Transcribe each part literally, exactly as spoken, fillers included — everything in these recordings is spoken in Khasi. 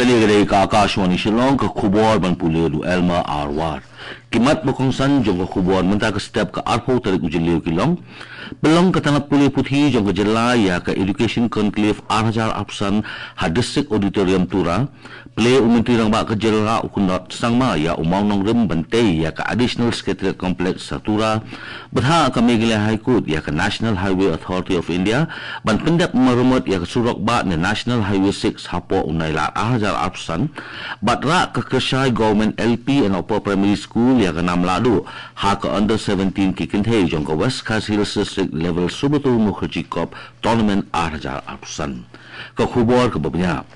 Kane ka dei ka Akashvani Shillong, ka khubor ban pule da u Elmer Arwar. Ki mat ba kongsan jong ka khubor mynta ka step ka arphew tarik u Jylliew ki long: Pynlong ka tnat pule puthi jong ka jylla ïa ka Education Conclave ar hajar arphew san ha District Auditorium Tura. Plie u Myntri Rangbah ka jylla u Conrad Sangma ïa u mawnongrim ban tei ïa ka Additional Secretariat Complex ha Tura. Bthah ka Meghalaya High Court ïa ka National Highway Authority of India ban pyndep maramot ïa ka surok bah ne National Highway six hapoh u Nailar ar hajar arphew san. Bad rah ka Kyrshai Government L P and Upper Primary School ïa ka nam lahduh ha ka under seventeen ki kynthei jong ka West Khasi Hills District Level Subrata Mukherjee Cup Tournament ar hajar arphew san. Ka khubor kaba bniah.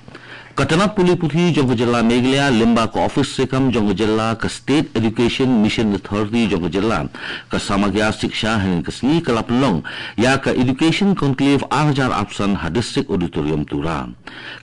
Ka tnat pule puthi jong ka jylla Meghalaya lyngba ka ophis treikam jong ka jylla, ka State Education Mission Authority jong ka jylla, ka Samagra Shiksha, hynnin ka sngi ka la pynlong ïa ka Education Conclave ar hajar arphew san ha District Auditorium Tura.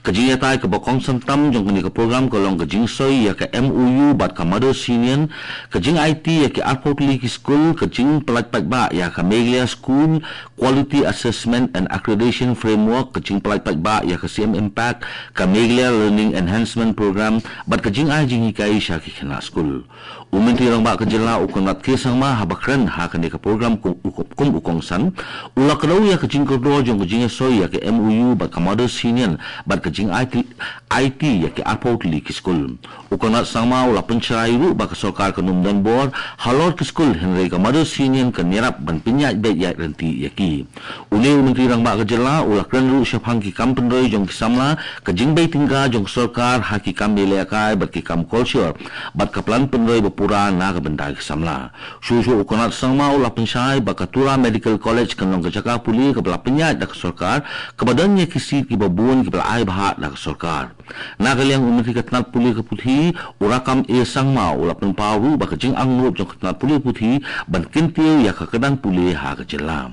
Ka jingïatai kaba kongsan tam jong kane ka program ka long ka jingsoi ïa ka M O U bad ka Mothers' Union, ka jingaiti ïa ki arphew tylli ki skul, ka jingpyllait paidbah ïa ka Meghalaya School Quality Assessment and Accreditation Framework, ka jingpyllait paidbah ïa ka C M Impact, ka Meghalaya Learning Enhancement Program, bad ka jingai jinghikai sha ki khynnah skul. U Myntri Rangbah ka jylla u Conrad K Sangma haba kren ha kane ka program kum, kum u kongsan, u la kdew ïa ka jingkordor jong ka jingïasoi ïa ka M O U bad ka Mothers' Union bad ka jingaiti, aiti ïa ki arphew tylli ki skul. U Conrad Sangma u la pynshai ruh ba ka sorkar kan ym don bor halor ki skul, hynrei ka Mothers' Union kan ïarap ban pynïaid beit ïaid ryntih ïa ki. Une u Myntri Rangbah ka jylla u la kren ruh shaphang ki kam pynroi jong ki samla, ka jingbei tyngka jong ka sorkar ha ki kam ïalehkai bad ki kam kolshor, bad ka plan pynroi ba pura na ka bynta ki samla. Shuh shuh u Conrad Sangma u la pynshai ba ka Tura Medical College kan long ka jaka pule kaba la pynïaid da ka sorkar, kaba don ïa ki seat kiba bun kiba la ai bha da ka sorkar. Na ka liang u Myntri ka tnat pule ka puthi, u Rakkam A Sangma, u la pynpaw ruh ba ka jingangnud jong ka tnat pule puthi ban kyntiew ïa ka kyrdan pule ha ka jylla.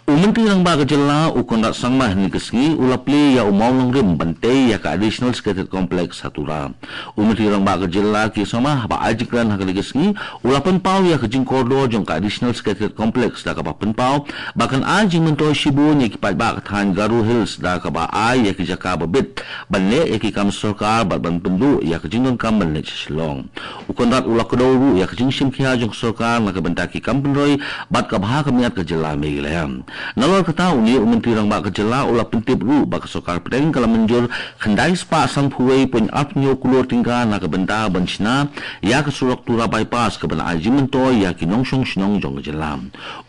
U Myntri Rangbah ka jylla u Conrad Sangma hynnin ka sngi u la plie ïa u mawnongrim ban tei ïa ka Additional Secretariat Complex ha Tura. U Myntri Rangbah ka jylla K Sangma haba ai jingkren ha kane ka sngi u la pynpaw ïa ka jingkordor jong ka Additional Secretariat Complex da kaba pynpaw ba kan ai jingmyntoi shibun ïa ki paidbah ka thaiñ Garo Hills da kaba ai ïa ki jaka ba bit ban leh ïa ki kam sorkar bad ban pynduh ïa ka jingdonkam ban leit sha Shillong. U Conrad u la kdew ruh ïa ka jingshim khia jong ka sorkar na ka bynta ki kam pynroi bad ka bha ka miat ka jylla Meghalaya. Nalor kata une u Myntri Rangbah ka jylla u la pyntip ruh ba ka sorkar pdeng ka la mynjur khyndai spah sanphew wei point arphew hynñiew klur tyngka na ka bynta ban shna ïa ka surok Tura Bypass kaban ai jingmyntoi ïa ki nongshong shnong jong ka jylla.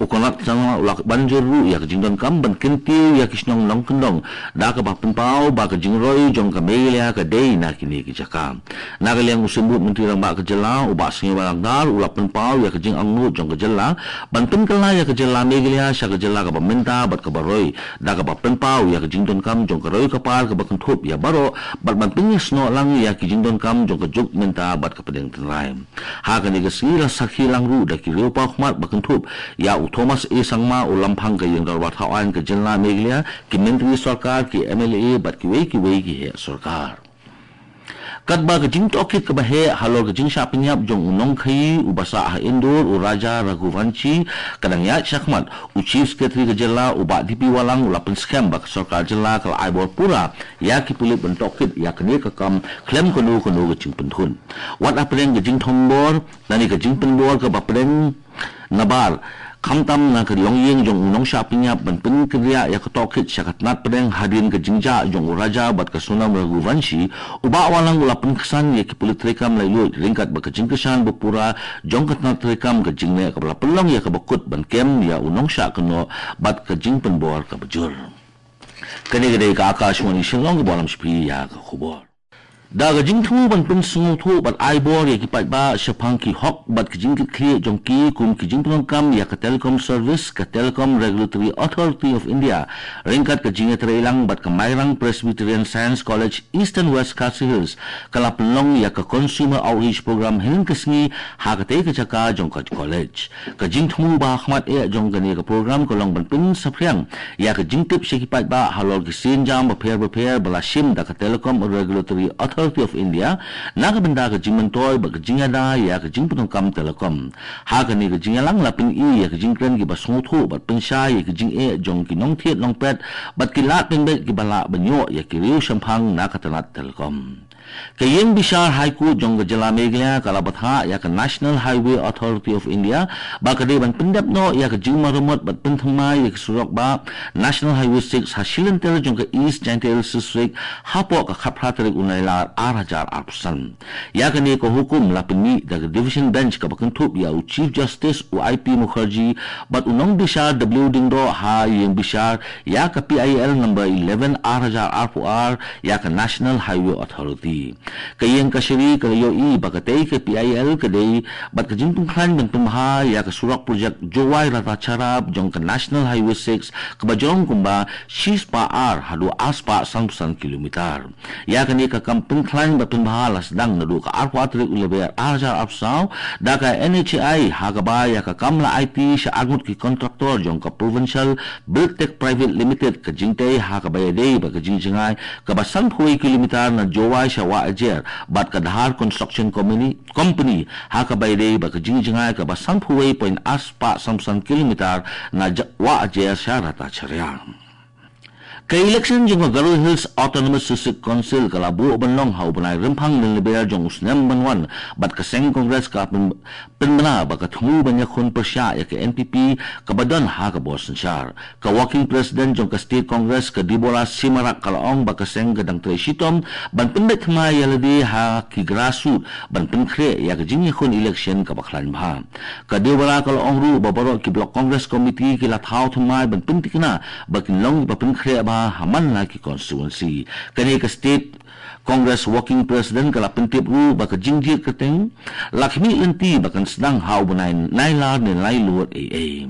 U Conrad Sangma u la ban jur ruh ïa ka jingdonkam ban kyntiew ïa ki shnong nongkyndong da kaba pynpaw ba ka jingroi jong ka Meghalaya ka dei na kine ki jaka. Na ka liang u Symbud Myntri Rangbah ka jylla u Bah Sniawbhalang Dhar u la pynpaw ïa ka jingangnud jong ka jylla ban pynkylla ïa ka jylla Meghalaya sha ka jylla kaba mynta bad kaba roi da kaba pynpaw ïa ka jingdonkam jong ka roi ka par kaba kynthup ïa baroh bad ban pynïasnoh lang ïa ki jingdonkam jong ka juk mynta bad ka pdeng tynrai. Ha kane ka sngi la sakhi lang ruh da ki riewpawkhmat ba kynthup ïa u Thomas A Sangma u Lamphang ka Ïingdorbar Thawaiñ ka jylla Meghalaya, ki myntri sorkar, ki M L A bad kiwei kiwei ki heh sorkar. Katba ka jingtohkit kaba heh halor ka jingshah pynïap jong u nongkhaii uba sah ha Indore u Raja Raghuvanshi ka dang ïaid shakhmat, u Chief Secretary ka jylla u Bah D P Wahlang u la pynskhem ba ka sorkar jylla ka la ai bor pura ïa ki pulit ban tohkit ïa kane ka kam khlem kano kano ka jingpynthut. Wat hapdeng ka jingthombor lane ka jingpynbor kaba pdeng nabar, khamtam na ka longïing jong u nongshah pynïap ban pynkynriah ïa ka tohkit sha ka tnat pdeng hadien ka jingjah jong u Raja bad ka Sonam Raghuvanshi, u Bah Wahlang u la pynksan ïa ki pulit treikam laitluid ryngkat bad ka jingkyrshan ba pura jong ka tnat treikam, ka jingleh kaba la pynlong ïa kaba kut ban kem ïa u nongshah kynnoh bad ka jingpynbor kaba jur. Kane ka dei ka Akashvani Shillong kaba lam sha phi ïa ka khubor. Da ka jingthmu ban pynsngewthuh bad ai bor ïa ki paidbah shaphang ki hok bad ki jingkitkhlieh jong ki kum ki jingpyndonkam ïa ka telecom service, ka Telecom Regulatory Authority of India ryngkat ka jingïatreilang bad ka Mairang Presbyterian Science College, Eastern West Khasi Hills, ka la pynlong ïa ka Consumer Outreach Program hynnin ka sngi ha katei ka jaka jong ka college. Ka jingthmu ba hakhmat eh jong kane ka program ka long ban pynsaphriang ïa ka jingtip sha ki paidbah halor ki sienjam bapher bapher ba la shim da ka Telecom Regulatory Authority Authority of India, na ka bynta ka jingmyntoi bad ka jingïada ïa ka jingpyndonkam telecom. Ha kane ka jingïalang la pyni ïa ka jingkren kiba sngewthuh bad pynshai ïa ka jingeh jong ki nongthied nongpet bad ki lad pynbeit kiba lah ban ïoh ïa ki riew shemphang na ka tnat telecom. Ka ïing bishar High Court jong ka jylla Meghalaya ka la bthah ïa ka National Highway Authority of India ba ka dei ban pyndep noh ïa ka jingmaramot bad pynthymmai ïa ka surok ba National Highway six ha shilynter jong ka East Jaintia Hills District hapoh ka khatphra tarik u Nailar ar hajar arphew san. Ïa kane ka hukum la pynmih da ka Division Bench kaba kynthup ïa u Chief Justice u I P Mukherjee bad u nongbishar W Diengdoh ha ïing bishar ïa ka P I L number eleven ar hajar arphew ar ïa ka National Highway Authority. Ka ïing kashari ka la ïohi ba katei ka P I L ka dei bad ka jingpynkhlaiñ ban pynbha ïa ka surok projek Jowai Ratasahara jong ka National Highway six kaba jrong kumba shispah ar haduh arspah sanphew san kilometer. Ïa kane ka kam pynkhlaiñ bad pynbha la sdang naduh ka arphew tarik u Lber ar hajar arphew saw da ka N H A I ha kaba ïa ka kam la aiti sha arngut ki kontraktor jong ka Provincial Buildtech Private Limited, ka jingtei ha kaba ïadei bad ka jingjngai kaba sanphew kilometer na Jowai sha Wahiajer bad ka Dhar Construction Company, Company ha kaba ïadei bad ka jingjngai kaba sanphew point arspah sanphew san kilometer na Ja-, Wahiajer sha Ratasahara. Ka election jong ka Garo Hills Autonomous District Council ka la buh ban long ha u bnai Rymphang Lynlber jong u snem ban wan bad ka seng Congress ka pyn-, pynbna ba ka thmu ban ïakhun pyrshah ïa ka N P P kaba don ha ka bor synshar. Ka Working President jong ka State Congress ka Deborah Simarak ka la ong ba ka seng ka dang trei shitom ban pynbeit thymmai ïa lade ha ki grassroots ban pynkhreh ïa ka jingïakhun election kaba khlaiñ bha. Ka Deborah ka la ong ruh ba baroh ki Block Congress Committee ki la thaw thymmai ban pyntikna ba kin long kiba pynkhreh bha ha man la ki constituency. Kane ka State Congress Working President ka la pyntip ruh ba ka jingjied kyrteng la khmih lynti ba kan sdang ha u bnai Nailar ne Nailut ei ei.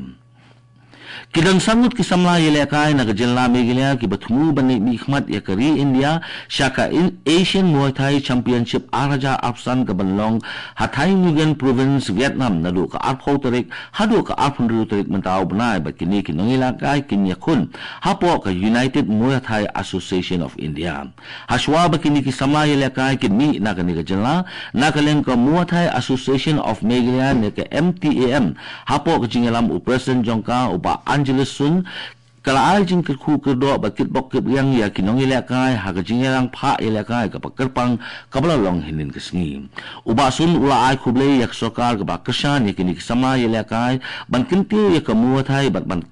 Ki don san ngut ki samla ïalehkai na ka jylla Meghalaya kiba thmu ban leit mihkhmat ïa ka ri India sha ka In-, Asian Muay Thai Championship ar hajar arphew san kaban long ha Thanh Nguyen Province, Vietnam, naduh ka arphew tarik haduh ka arphew hynriew tarik mynta u bnai, bad kine ki nongïalehkai kin ïakhun hapoh ka United Muay Thai Association of India. Hashwa ba kine ki samla ïalehkai kin mih na kane ka jylla, na ka liang ka Muay Thai Association of Meghalaya ne ka M T A M, hapoh ka jingïalam u President jong ka u Bah Angelus Sun, ka la ai jingkyrkhu kyrdoh bad kitbok kitrwiang ïa ki nongïalehkai ha ka jingïalang phah ïalehkai kaba kyrpang kaba la long hynnin ka sngi. U Bah Sun u la ai khublei ïa ka sorkar kaba kyrshan ïa kine ki samla ïalehkai ban kyntiew ïa ka Muay Thai bad ban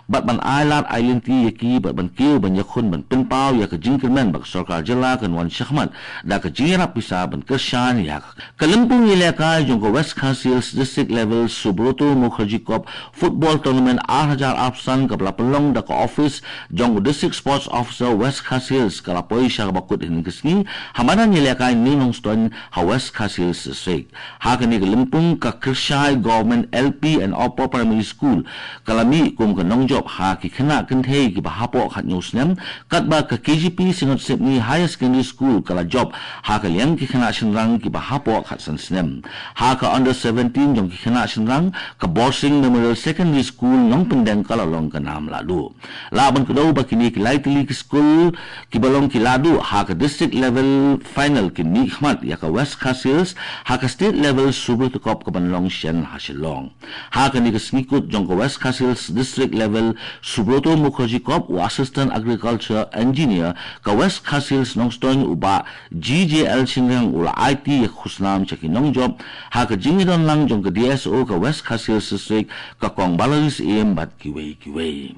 bad ban ai lad ai lynti ïa ki bad ban kiew ban ïakhun ban pynpaw ïa ka jingkyrmen ba ka sorkar jylla kan wan shakhmat da ka jingïarap pisa ban kyrshan ïa ka. Ka lympung ïalehkai jong ka West Khasi Hills District Level Subroto Mukherjee Cup Football Tournament ar hajar arphew san kaba la pynlong da ka office jong u District Sports Officer West Khasi Hills ka la poi sha kaba kut hynnin ka sngi ha madan ïalehkai New Nongstoiñ ha West Khasi Hills District. Ha kane ka lympung ka Kyrshai Government L P and Upper Primary School ka la mih kum ka nongjop ha ki khynnah kynthei kiba hapoh khathynñiew snem, katba ka K G P Synod Sepngi Higher Secondary School ka la jop ha ka liang ki khynnah shynrang kiba hapoh khatsan snem. Ha ka under seventeen jong ki khynnah shynrang, ka Borsing Memorial Secondary School Nongpyndeng ka la long ka nam lahduh. Lah ban kdew ba kine ki lai tylli ki skul kiba long ki lahduh ha ka district level final kin mihkhmat ïa ka West Khasi Hills ha ka state level Subroto Cup kaban long shen ha Shillong. Ha kane ka sngi kut jong ka West Khasi Hills District Level Subroto Mukherjee Cup, u Assistant Agriculture Engineer ka West Khasi Hills Nongstoiñ u Bah G J L Shynriang u la aiti ïa ka khusnam sha ki nongjop ha ka jingïadon lang jong ka D S O ka West Khasi Hills District, ka Kong Balaris Im bad kiwei kiwei.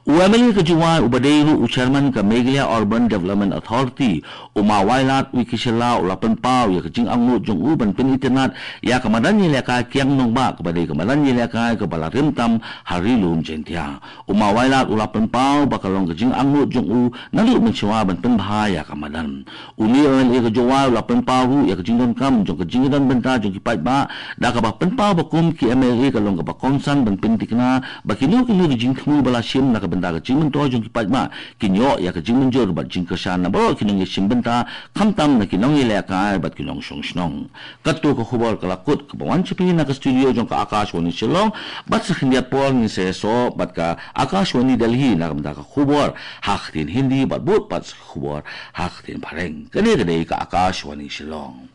U M L A ka Jowai uba dei ruh u Chairman ka Meghalaya Urban Development Authority, u Ma Wailadmiki Shylla u la pynpaw ïa ka jingangnud jong u ban pynitynnad ïa ka madan ïalehkai Kiang Nangbah kaba dei ka madan ïalehkai kaba la rim tam ha Ri Lum Jaiñtia. U Ma Wailad u la pynpaw ba ka long ka jingangnud jong u naduh mynshuwa ban pynbha ïa ka madan. Une u M L A ka Jowai u la pynpaw ruh ïa ka jingdonkam jong ka jingïadon bynta jong ki paidbah da kaba pynpaw ba kum ki M L A ka long kaba kongsan ban pyntikna ba kino kino ki jingthmu ba la shim na ka bynta ka jingmyntoi jong ki paidbah, kin ïoh ïa ka jingmynjur bad jingkyrshan na baroh ki nongïashim bynta, khamtam na ki nongïalehkai bad ki nongshong shnong. Katto ka khubor ka la kut kaba wan sha phi na ka studio jong ka Akashvani Shillong, bad sa khyndiat por ngin sa ïasoh bad ka Akashvani Delhi na ka bynta ka khubor ha ka ktien Hindi bad bud pat sa ka khubor ha ka ktien Phareng. Kane ka dei ka Akashvani Shillong.